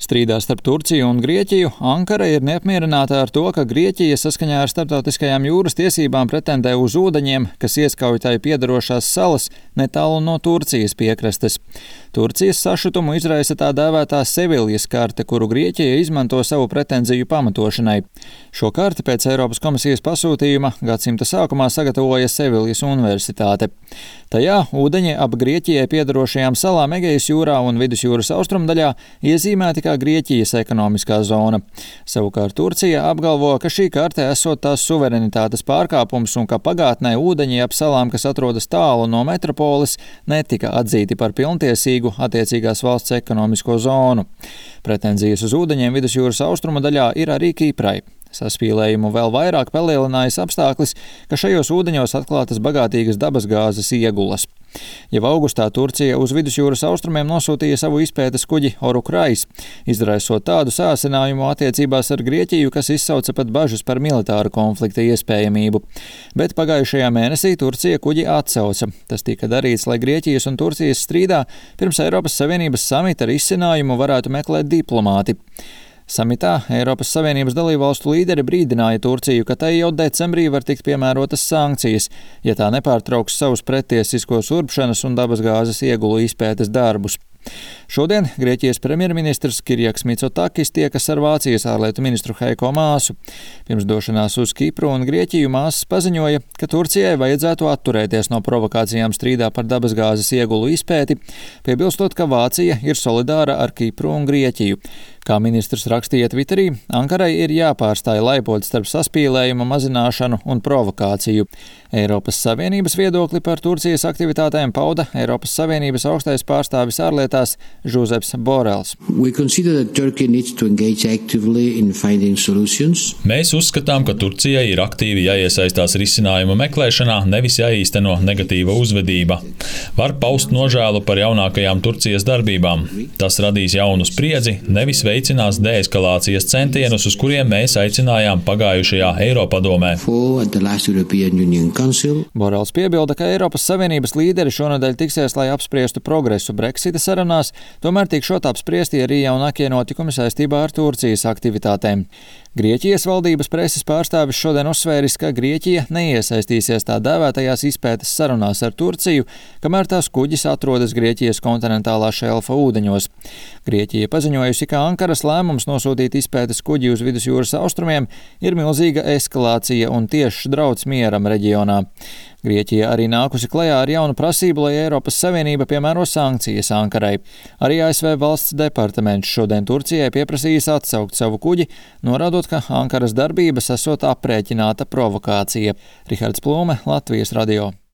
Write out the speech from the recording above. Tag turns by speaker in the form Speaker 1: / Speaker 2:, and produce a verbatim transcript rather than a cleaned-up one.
Speaker 1: Strīdā starp Turciju un Grieķiju Ankara ir neapmierināta ar to, ka Grieķija saskaņā ar starptautiskajām jūras tiesībām pretendē uz ūdeņiem, kas ieskauj tai piedarošās salas netālu no Turcijas piekrastes. Turcijas sašutumu izraisa tā dēvētā Seviljas karte, kuru Grieķija izmanto savu pretenziju pamatošanai. Šo karti pēc Eiropas komisijas pasūtījuma gadsimta sākumā sagatavoja Seviljas universitāte. Tajā ūdeņi ap Grieķijai piedarošajām salām Egejas jūrā un Vidusjūras austrumdaļā iezīmēti kā Grieķijas ekonomiskā zona. Savukārt Turcija apgalvo, ka šī karte esot tās suverenitātes pārkāpums un ka pagātnē ūdeņi ap salām, kas atrodas tālu no metropoles, netika atzīti par pilntiesīgu attiecīgās valsts ekonomisko zonu. Pretenzijas uz ūdeņiem Vidusjūras austrumu daļā ir arī Kiprai. Saspīlējumu vēl vairāk palielinājis apstāklis, ka šajos ūdeņos atklātas bagātīgas dabasgāzes iegulas. Jau augustā Turcija uz Vidusjūras austrumiem nosūtīja savu izpētes kuģi Orukrais, izraisot tādu sāsinājumu attiecībās ar Grieķiju, kas izsauca pat bažas par militāru konflikta iespējamību. Bet pagājušajā mēnesī Turcija kuģi atsauca. Tas tika darīts, lai Grieķijas un Turcijas strīdā pirms Eiropas Savienības samita risinājumu varētu meklēt diplomāti. Samitā Eiropas Savienības dalībvalstu līderi brīdināja Turciju, ka tai jau decembrī var tikt piemērotas sankcijas, ja tā nepārtrauks savus pretiesiskos urbšanas un dabasgāzes iegulu izpētes darbus. Šodien Grieķijas premjerministrs Kirjaks Mitsotakis tiekas ar Vācijas ārlietu ministru Heiko Māsu. Pirms došanās uz Kipru un Grieķiju Māsas paziņoja, ka Turcijai vajadzētu atturēties no provokācijām strīdā par dabasgāzes iegulu izpēti, piebilstot, ka Vācija ir solidāra ar Kipru un Grieķiju. Kā ministrs rakstīja Twitterī, Ankarai ir jāpārstāj laipot starp saspīlējuma mazināšanu un provokāciju. Eiropas Savienības viedokli par Turcijas aktivitātēm pauda Eiropas Savienības augstais pārstāvis ārlietās Žuzeps Borels.
Speaker 2: Mēs uzskatām, ka Turcijai ir aktīvi jāiesaistās risinājuma meklēšanā, nevis jāīsteno negatīva uzvedība. Var paust nožēlu par jaunākajām Turcijas darbībām. Tas radīs jaunu spriedzi, nevis veicinās deeskalācijas centienus, uz kuriem mēs aicinājām pagājušajā Eiropadomē.
Speaker 1: Borels piebilda, ka Eiropas Savienības līderi šonedēļ tiksies, lai apspriestu progresu Brexita sarunās, tomēr tikšot apspriesti arī jaunākie notikumi saistībā ar Turcijas aktivitātēm. Grieķijas valdības preses pārstāvis šodien uzsvēris, ka Grieķija neiesaistīsies tā dēvētajās izpētes sarunās ar Turciju, kamēr tās kuģis atrodas Grieķijas kontinentālā šelfa ūdeņos. Grieķija paziņojusi, ka Ankaras lēmums nosūtīt izpētes kuģi uz Vidusjūras austrumiem ir milzīga eskalācija un tiešs drauds mieram reģionā. Grieķija arī nākusi klajā ar jaunu prasību, lai Eiropas Savienība piemēro sankcijas Ankarai. Arī A S V valsts departaments šodien Turcijai pieprasījis atsaukt savu kuģi, norādot, ka Ankaras darbības esot aprēķināta provokācija. Rihards Plūme, Latvijas radio.